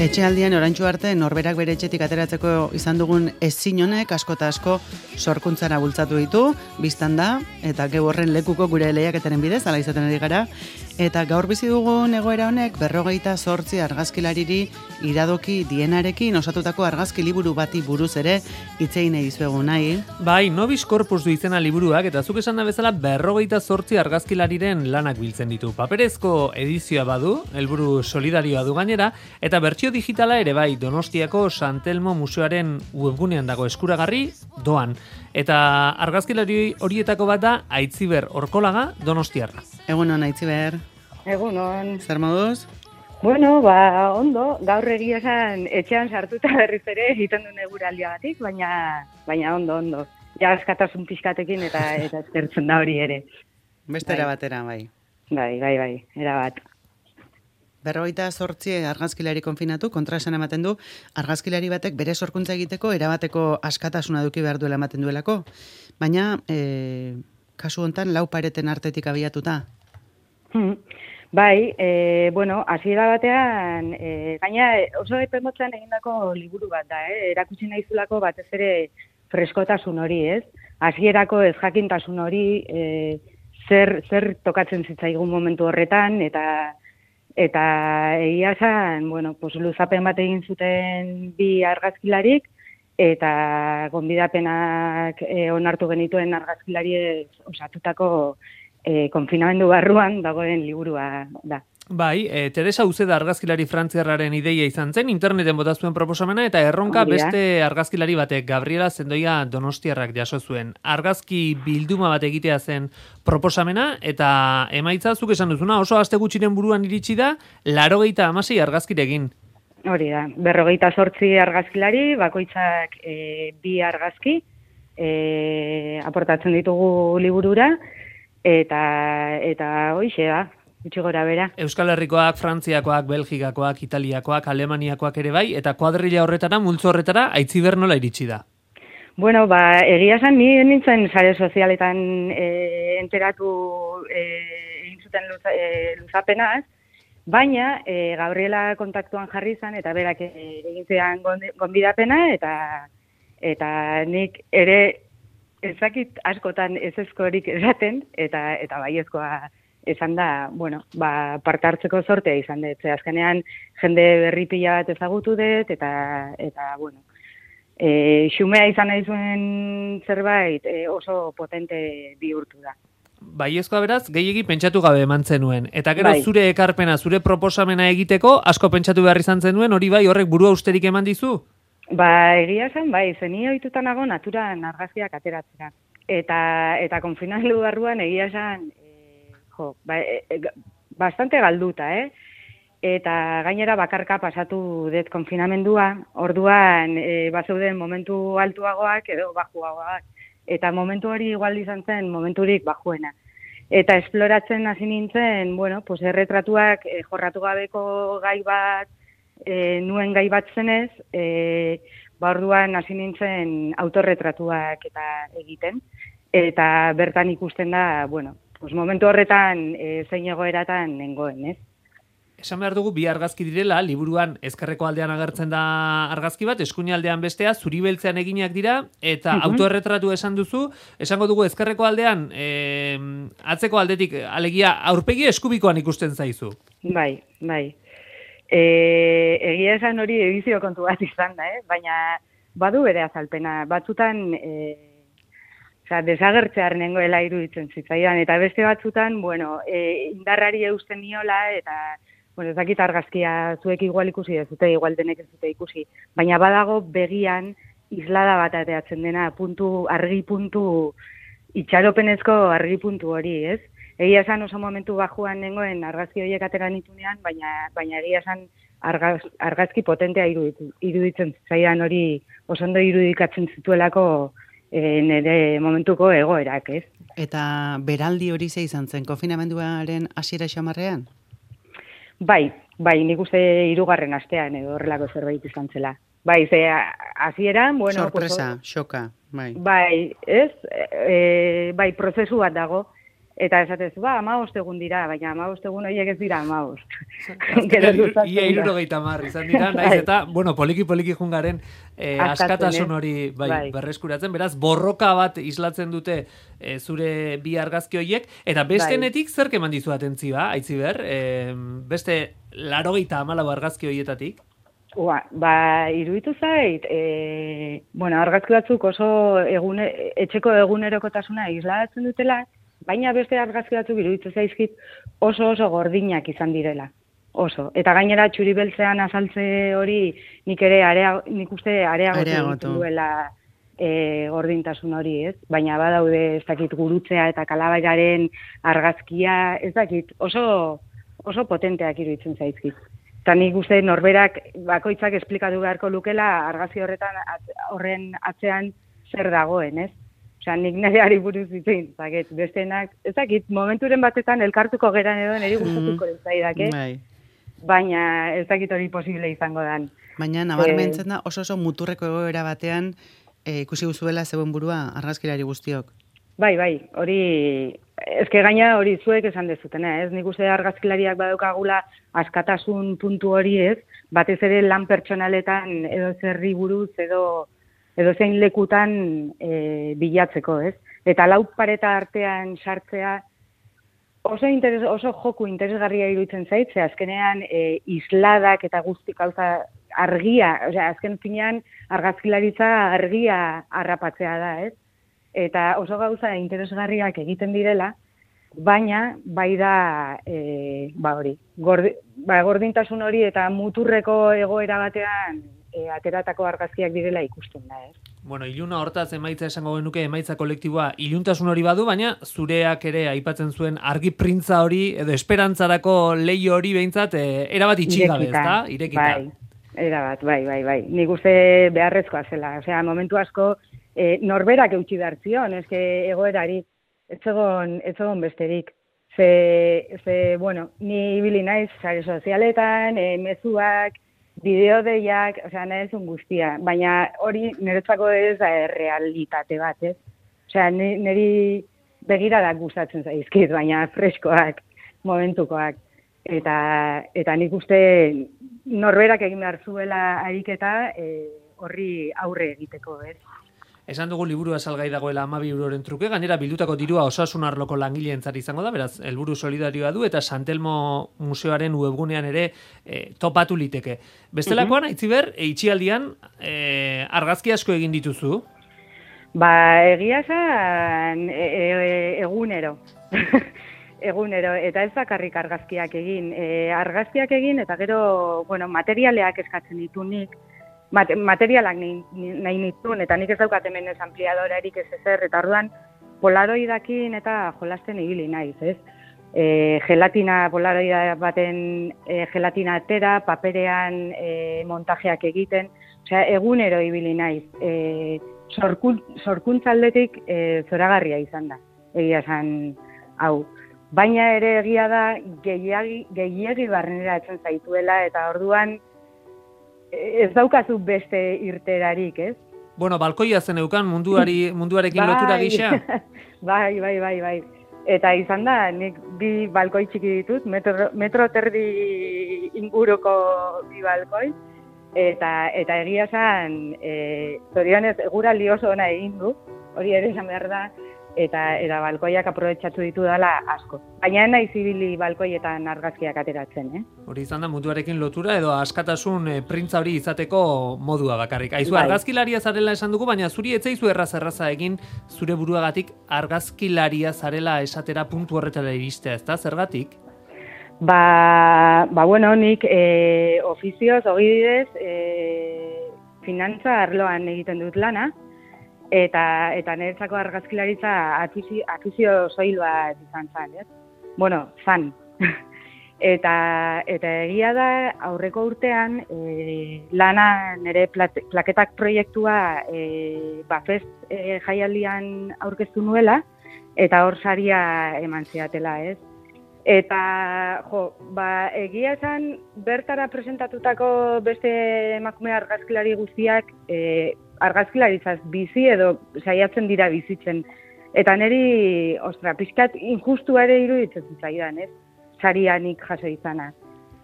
Etxealdian oraintsu arte norberak bere etxetik ateratzeko izan dugun ezin honek asko eta asko sorkuntzara bultzatu ditu, biztan da, eta geu horren lekuko gure lehiaketaren bidez, ala izaten ari gara, eta gaur bizi dugun egoera honek 58 argazkilariri iradoki dienarekin osatutako argazki liburu bati buruz ere hitz egin dizuegu nahi. Bai, Nobis Corpus du izena liburuak, eta zuk esan da bezala 58 argazkilariren lanak biltzen ditu. Paperezko edizioa badu, helburu solidarioa du gainera, eta bertsio digitala ere bai, Donostiako Santelmo Museoaren webgunean dago eskuragarri doan. Eta argazkilari horietako bat da Aitziber Orkolaga Donostiarra. Egunon, Aitziber. Egunon. Zer moduz? Bueno, ondo, gaur egia esan etxean sartuta berriz ere egiten duen eguraldiagatik, baina ondo. Ja askatasun pixkatekin eta eskertzen da hori ere. Beste erabatera, bai. Bai, erabat. 58 argazkilari konfinatu, kontraesan ematen du, argazkilari batek bere sorkuntza egiteko erabateko askatasuna eduki behar duela ematen duelako. Baina, kasu hontan, 4 pareten artetik abiatuta. Bai, hasiera batean, gaina oso epemotzan egindako liburu bat da, erakutsi nahizulako batez ere freskotasun hori, ez? Hasierako ez jakintasun hori, zer tokatzen zitzaigun momentu horretan, eta egia esan, luzapen bat egin zuten bi argazkilarik, eta gonbidapenak onartu genituen argazkilariek osatutako konfinamendu barruan dagoen liburua da. Bai, Teresa Uceda argazkilari frantziarraren ideia izan zen, interneten bota zuen proposamena, eta erronka beste argazkilari batek, Gabriela Zendoia Donostiarrak jaso zuen. Argazki bilduma bat egitea zen proposamena, eta emaitza zuk esan duzuna, oso aste gutxiren buruan iritsi da, 86 argazkirekin. Hori da, 58 argazkilari, bakoitzak 2 argazki aportatzen ditugu liburura, eta hoixe da, gutxi gora bera. Euskal Herrikoak, Frantziakoak, Belgikakoak, Italiakoak, Alemaniakoak ere bai, eta kuadrilla horretara, multzo horretara, Aitziber nola iritsi da? Egia esan, ni nintzen sare sozialetan enteratu egin zuten luzapenaz, baina Gabriela kontaktuan jarri izan, eta berak egin zean gonbidapena, eta nik ere ezakit askotan ezezkorik esaten, eta baiezkoa esan da, parte hartzeko sortea izan dut. Azkenean, jende berri pila bat ezagutu dut, eta xumea izan nahi zuen zerbait oso potente bihurtu da. Baiezkoa beraz, gehiegi pentsatu gabe eman zenuen. Eta gero zure ekarpena, zure proposamena egiteko, asko pentsatu behar izan zenuen, hori bai horrek burua usterik eman dizu? Egia zen, zeni ohituta nago naturan argazkiak ateratzera. Eta konfinamendu barruan egia zen, bastante galduta, Eta gainera bakarka pasatu dut konfinamendua, orduan bazeuden momentu altuagoak edo bajuagoak. Eta momentu hori igual izan zen momenturik bajuena. Eta esploratzen hasi nintzen, erretratuak jorratu gabeko gai bat, nuen gai bat zenez, orduan hasi nintzen autorretratuak eta egiten, eta bertan ikusten da, momentu horretan zein egoeratan nengoen, ez? Esan behar dugu bi argazki direla, liburuan ezkerreko aldean agertzen da argazki bat, eskuinaldean bestea, zuri beltzean eginak dira, eta autorretratu esan duzu, esango dugu ezkerreko aldean, atzeko aldetik, alegia aurpegi eskubikoan ikusten zaizu. Bai. Egia esan hori edizio kontu bat izan da, baina badu bere azalpena. Batzutan, desagertzear nengoela iruditzen zitzaidan, eta beste batzutan, indarrari eusten niola, eta ez dakit argazkia zuek igual ikusi dezute, igual denek ez dute ikusi, baina badago begian islada bat ateatzen dena, argi puntu, itxaropenezko argi puntu hori, ez? Egia esan oso momentu bajuan nengoen argazki horiek atera nitunean, baina egia esan argazki potentea iruditzen zaidan hori oso ondo irudikatzen zituelako nire momentuko egoerak, ez? Eta beraldi hori ze izan zen, konfinamenduaren hasiera xamarrean? Bai, nik uste 3. astean edo horrelako zerbait izan zela. Bai, hasieran, sorpresa, xoka, bai. Bai, ez? Bai, prozesu bat dago. Eta esatezu, 15 egun dira, baina 15 egun horiek ez dira 15. Ia 70 izan dira, naiz eta, bueno, poliki jungaren askatasun hori berreskuratzen, beraz, borroka bat islatzen dute zure bi argazki horiek, eta bestenetik zerk eman dizu atentzioa, Aitziber, beste 84 argazki horietatik? Iruditu zait, argazki batzuk oso etxeko egunerokotasuna islatzen dutela, baina beste argazki batzuk iruditu zaizkit oso gordinak izan direla. Oso. Eta gainera txuri beltzean azaltze hori nik uste areagotu duela gordintasun hori, ez? Baina badaude ez dakit gurutzea eta kalabairaren argazkia, ez dakit oso potenteak iruditzen zaizkit. Eta nik uste norberak bakoitzak esplikatu beharko lukela argazki horren atzean zer dagoen, ez? Osea, nik nareari buruz ditzein, bestenak, ez dakit, momenturen batetan elkartuko geran edo niri gustatuko zaidake, baina ez dakit hori posible izango dan. Baina nabarmentzen da oso muturreko egoera batean ikusi guzuela zeuen burua argazkilari guztiok. Bai, hori, ezke gaina hori zuek esan dezutena, ez? Nik uste argazkilariak badaukagula askatasun puntu hori, ez? Batez ere lan pertsonaletan edo zerri buruz edo zein lekutan bilatzeko, ez? Eta lau pareta artean sartzea oso joku interesgarria iruditzen zait, ze azkenean isladak eta guzti gauza argia, osea, azken finean argazkilaritza argia harrapatzea da, ez? Eta oso gauza interesgarriak egiten direla, baina bai da hori, gordintasun hori eta muturreko egoera batean ateratako argazkiak direla ikusten da, ez? Bueno, iluna hortaz emaitza esango genuke emaitza kolektiboa iluntasun hori badu, baina zureak ere aipatzen zuen argi printza hori edo esperantzarako leio hori behintzat erabat itxigabe, ezta? Irekita. Bai, erabat, bai. Nik uste beharrezkoa zela. Osea, momentu asko norberak eutxi behar zion, eske egoerari ez egon besterik. Ni ibili naiz sare sozialetan, mezuak, bideodeiak, osea, nahizun guztia, baina hori niretzako ez da realitate bat, ez? Osea, niri begiradak gustatzen zaizkit, baina freskoak, momentukoak. Eta nik uste norberak egin behar zuela ariketa horri aurre egiteko, ez? Esan dugu liburua salgai dagoela 12 euroren truke, gainera bildutako dirua osasun arloko langileentzat izango da, beraz, helburu solidarioa du eta Santelmo museoaren webgunean ere topatu liteke. Bestelakoan, Aitziber, itxialdian argazki asko egin dituzu? Egia esan egunero. Egunero, eta ez bakarrik argazkiak egin. Argazkiak egin eta gero, materialeak eskatzen ditu nik. Materialak nahi nituen, eta nik ez daukat hemen ez ampliadorarik ez ezer, eta orduan polaroidakin eta jolasten ibili naiz, ez? Gelatina, polaroida baten gelatina atera, paperean montajeak egiten, osea, egunero ibili naiz. Sorkuntzaldetik zoragarria izan da, egia esan hau. Baina ere egia da gehiegi barrenera etzen zaituela, eta orduan ez daukazu beste irterarik, ez? Bueno, balkoia zen eukan munduarekin lotura gisa. Bai. Eta izan da, nik bi balkoi txiki ditut, metro terdi inguruko bi balkoi, eta egia esan, zorionez, eguraldi oso ona egin du, hori ere esan behar da, eta balkoiak aprobetxatu ditu dela asko. Baina nahi zibili balkoietan argazkiak ateratzen, Hori izan da munduarekin lotura edo askatasun printza hori izateko modua bakarrik. Aizu, argazkilaria zarela esan dugu, baina zuri etzaizu erraza egin zure buruagatik argazkilaria zarela esatera puntu horretara iristea, ezta? Zergatik? Nik ofizioz, ogibidez, finantza arloan egiten dut lana, eta niretzako argazkilaritza akizio soil bat izan zan, ez? Zan. Eta egia da, aurreko urtean, lana nire plaketak proiektua Bafest jaialdian aurkeztu nuela, eta hor saria eman zidatela, ez? Eta, egia esan, bertara presentatutako beste emakume argazkilari guztiak argazkilaritzaz bizi edo saiatzen dira bizitzen. Eta niri, pixkat injustua ere iruditzen zitzaidan, ez? Sarianik jaso izana.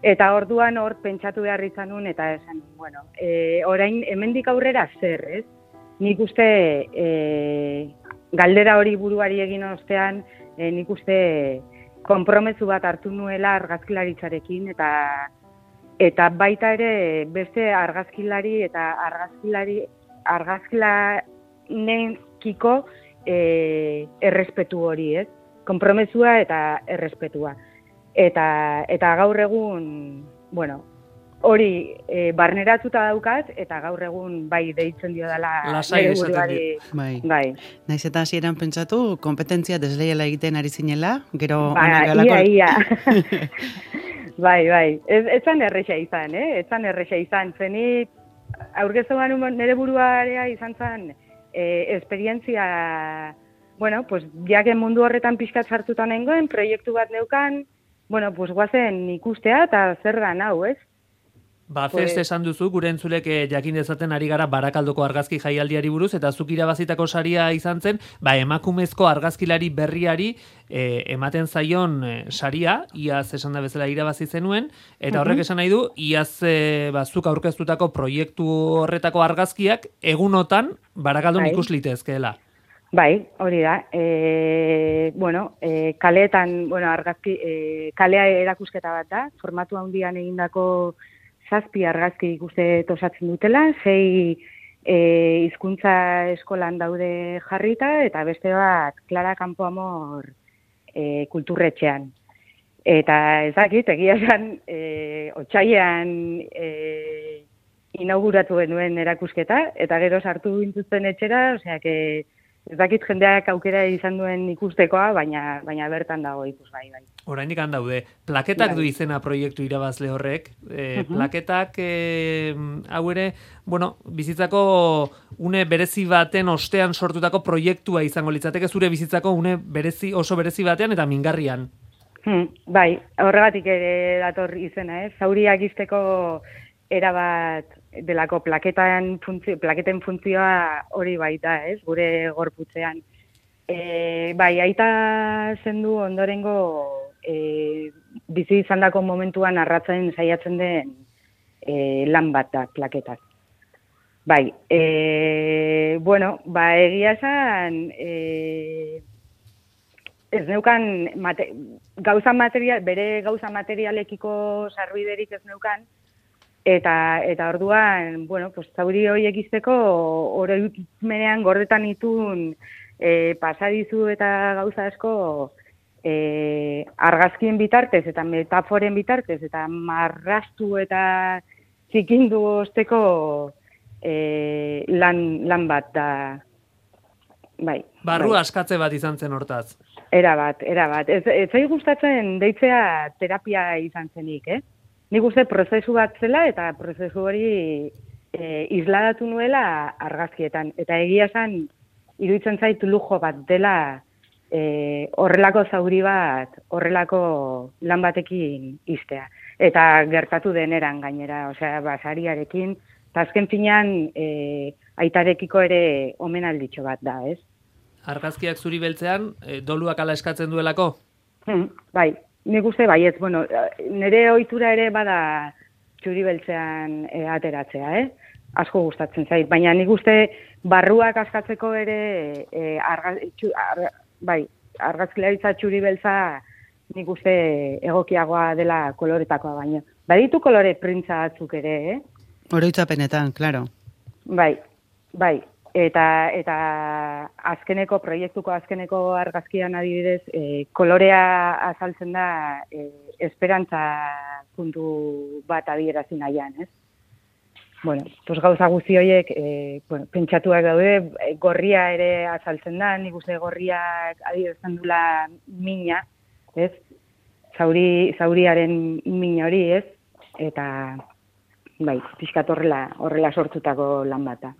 Eta orduan hor pentsatu behar izan nun, eta esan, bueno, orain hemendik aurrera zer, ez? Nik uste galdera hori buruari egin ostean, nik uste konpromezu bat hartu nuela argazkilaritzarekin, eta baita ere beste argazkilari eta argazkilanekiko errespetu hori, ez? Konpromezua eta errespetua. Eta gaur egun, bueno, hori barneratuta daukat, eta gaur egun bai deitzen dio dela nire buruari. Bai. Naiz eta hasieran pentsatu, kompetentzia desleiala egiten ari zinela, gero ia. Bai. Etzan erresa izan, Etzan erresa izan. Zenit, aurkeztuan nire buruarea izan zen, esperientzia, bueno, pues, jaken mundu horretan pixkat sartuta nengoen, proiektu bat neukan, bueno, pues, guazen ikustea eta zer hau, ez? Fest esan duzu, gure entzulek jakin dezaten ari gara Barakaldoko argazki jaialdiari buruz, eta zuk irabazitako saria izan zen, emakumezko argazkilari berriari ematen zaion saria, iaz esan da bezala irabazi zenuen, eta horrek esan nahi du, iaz zuk aurkeztutako proiektu horretako argazkiak egunotan Barakaldon ikus litezkeela. Bai, hori da. Kaleetan, argazki, kalea erakusketa bat da, formatu handian egindako 7 argazki ikuste tosatzen dutela, 6 hizkuntza eskolan daude jarrita, eta beste bat Clara Campoamor kulturretxean. Eta ez dakit, egia esan, otsailean inauguratu genuen erakusketa, eta gero sartu gintuzten etxera, osea, ez dakit jendeak aukera izan duen ikustekoa, baina bertan dago ikusgai, bai. Oraindik daude. Plaketak du izena proiektu irabazle horrek. Plaketak hau ere, bizitzako une berezi baten ostean sortutako proiektua izango litzateke, zure bizitzako une oso berezi batean eta mingarrian. Bai, horregatik ere dator izena, zauriak izteko erabat delako plaketen funtzioa hori baita, gure gorputzean. Bai, aita zendu ondorengo bizi izandako momentuan arratzen saiatzen den lan bat da, plaketak. Bai, egia esan, ez neukan bere gauza materialekiko sarbiderik ez neukan, eta orduan, zauri horiek izteko oroitmenean gordetan itun pasadizu eta gauza asko argazkien bitartez eta metaforen bitartez eta marrastu eta zikindu osteko lan bat da. Bai. Barru askatze bat izan zen hortaz. Era bat. Ez zai gustatzen deitzea terapia izan zenik, Nik uste prozesu bat zela eta prozesu hori isladatu nuela argazkietan. Eta egia esan, iruditzen zait lujo bat dela horrelako zauri bat, horrelako lan batekin iztea. Eta gertatu deneran gainera, osea, basariarekin, eta azken finean aitarekiko ere omenalditxo bat da, ez? Argazkiak zuri beltzean, doluak ala eskatzen duelako? Bai. Nik uste baietz, nire ohitura ere bada txuri beltzean ateratzea, asko gustatzen zait. Baina nik uste barruak askatzeko ere argazkilaritza txuri beltza nik uste egokiagoa dela koloretakoa baino. Baditu kolore printza batzuk ere, Oroitzapenetan, claro. Bai. Eta proiektuko azkeneko argazkian adibidez, kolorea azaltzen da esperantza puntu bat adierazi nahian, ez? Gauza guzti horiek pentsatuak daude, gorria ere azaltzen da, nik uste gorriak adierazten dula mina, ez? Zauriaren mina hori, ez? Eta, pixkat horrela sortutako lan bata.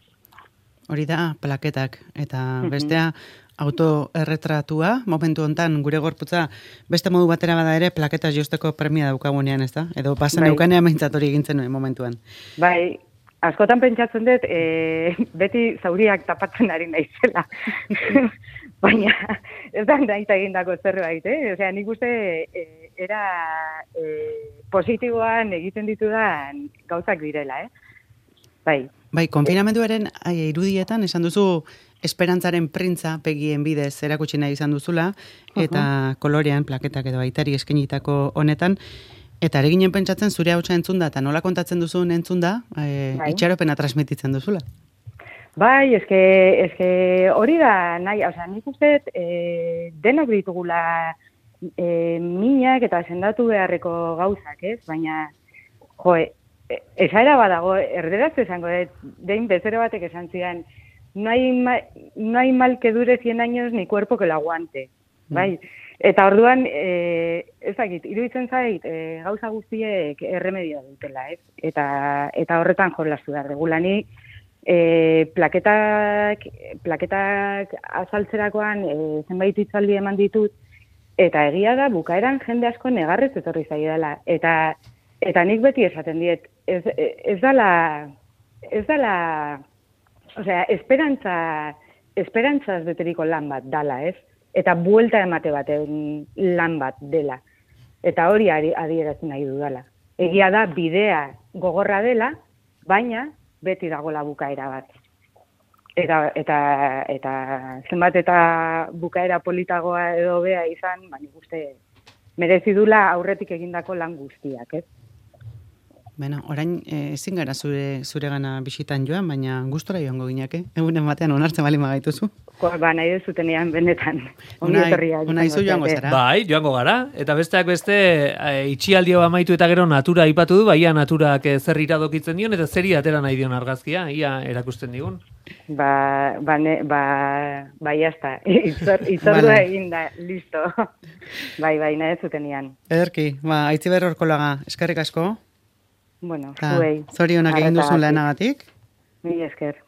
Hori da, plaketak, eta bestea autoerretratua, momentu hontan gure gorputza beste modu batera bada ere, plaketaz josteko premia daukagunean, ez da? Edo pasan eukanean behintzat hori egintzen nuen momentuan. Bai, askotan pentsatzen dut, beti zauriak tapatzen ari naizela. Baina, ez da naita egindako zerbait, Osea, nik uste era positiboan egiten ditudan gauzak direla, Bai. Bai, konfinamenduaren irudietan esan duzu esperantzaren printza pegien bidez erakutsi nahi izan duzula, eta kolorean plaketak edo aitari eskenitako honetan, eta ere ginen pentsatzen zure hautsa entzunda, eta nola kontatzen duzun entzunda, itxaropena transmititzen duzula. Bai, eske hori da nahi, osea, nik uste denok ditugula minak eta sendatu beharreko gauzak, baina, esaera badago, erderaz esango, dein bezero batek esan zidan, no hay mal que dure 100 años ni cuerpo que lo aguante, bai? Eta orduan, ez dakit, iruditzen zait, gauza guztiek erremedio dutela, Eta horretan jolastu da, regulani, plaketak azaltzerakoan zenbait hitzaldi eman ditut, eta egia da, bukaeran jende asko negarrez etorri zaidala. Eta nik beti esaten diet, ez dala, osea, esperantzaz beteriko lan bat dala, Eta buelta emate baten lan bat dela. Eta hori adierazten nahi dudala. Egia da, bidea gogorra dela, baina beti dagoela bukaera bat. Eta zenbat eta bukaera politagoa edo bea izan, baina uste merezi dula aurretik egindako lan guztiak, Bueno, orain ezin gara zure gana bisitan joan, baina gustora joango gineke. Egunen batean onartzen bali magaituzu. Nahi dezutenean benetan. Unai zu joango zara. Bai, joango gara. Eta besteak beste, itxialdio amaitu eta gero natura aipatu du, baia naturak zer iradokitzen dion, eta zeri atera nahi dion argazkia, ia erakusten digun. Jazta. Itzordua eginda, listo. Bai, nahi dezutenean. Ederki, Aitziber Orkolaga, eskerrik asko. Bueno, zuei. Zorionak egin duzun lanagatik. Mila esker.